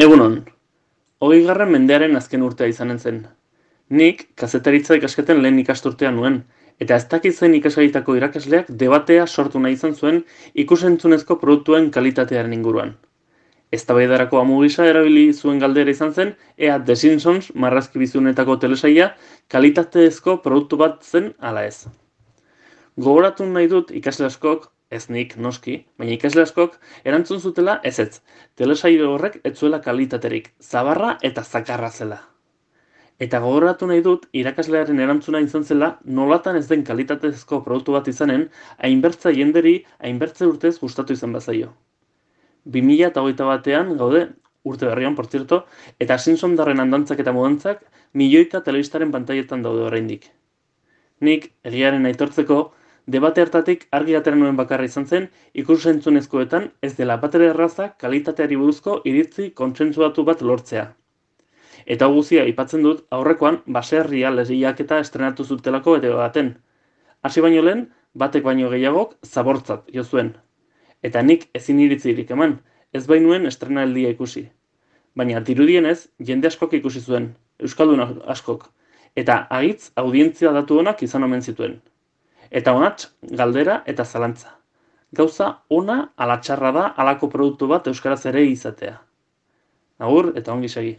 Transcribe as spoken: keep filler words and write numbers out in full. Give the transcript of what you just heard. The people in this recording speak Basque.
Egunon, hogeigarren mendearen azken urtea izanen zen. Nik kazetaritza ikasketen lehen ikasturtea nuen, eta ez dakit zen ikasgaitako irakasleak debatea sortu nahi izan zuen ikusentzunezko produktuen kalitatearen inguruan. Eztabaidarako amu gisa erabili zuen galdera izan zen, ea The Simpsons marrazkibizunetako telesaila kalitatezko produktu bat zen ala ez. Gogoratu nahi dut ikasle askok, ez nik noski, baina ikasle askok erantzun zutela ezetz. Telesaile horrek ez zuela kalitaterik, zabarra eta zakarra zela. Eta gogoratu nahi dut irakaslearen erantzuna izan zela nolatan ez den kalitatezko produktu bat izanen, hainbertza jenderi hainbertze urtez gustatu izan bazaio. bi mila hogeita batean gaude, urte berrian, por cierto, eta Simpsondarren andantzak eta modantzak milioika telebistaren pantailetan daude oraindik. Nik, egiaren aitortzeko, debate hartatik argi atera nuen bakarra izan zen, ikus-entzunezkoetan ez dela batere erraza kalitateari buruzko iritzi kontsentsuatu bat lortzea. Eta hau guzia aipatzen dut aurrekoan baserria lehiaketa estrenatu zutelako bete baten. Hasi baino lehen, batek baino gehiagok zabortzat jo zuen. Eta nik ezin iritzirik eman, ez bainuen estrenaldia ikusi. Baina dirudienez, jende askok ikusi zuen, euskaldun askok, eta agitz audientzia datu onak izan omen zituen. Eta honatz, galdera eta zalantza. Gauza ona ala txarra da halako produktu bat euskaraz ere izatea. Agur eta ongi segi.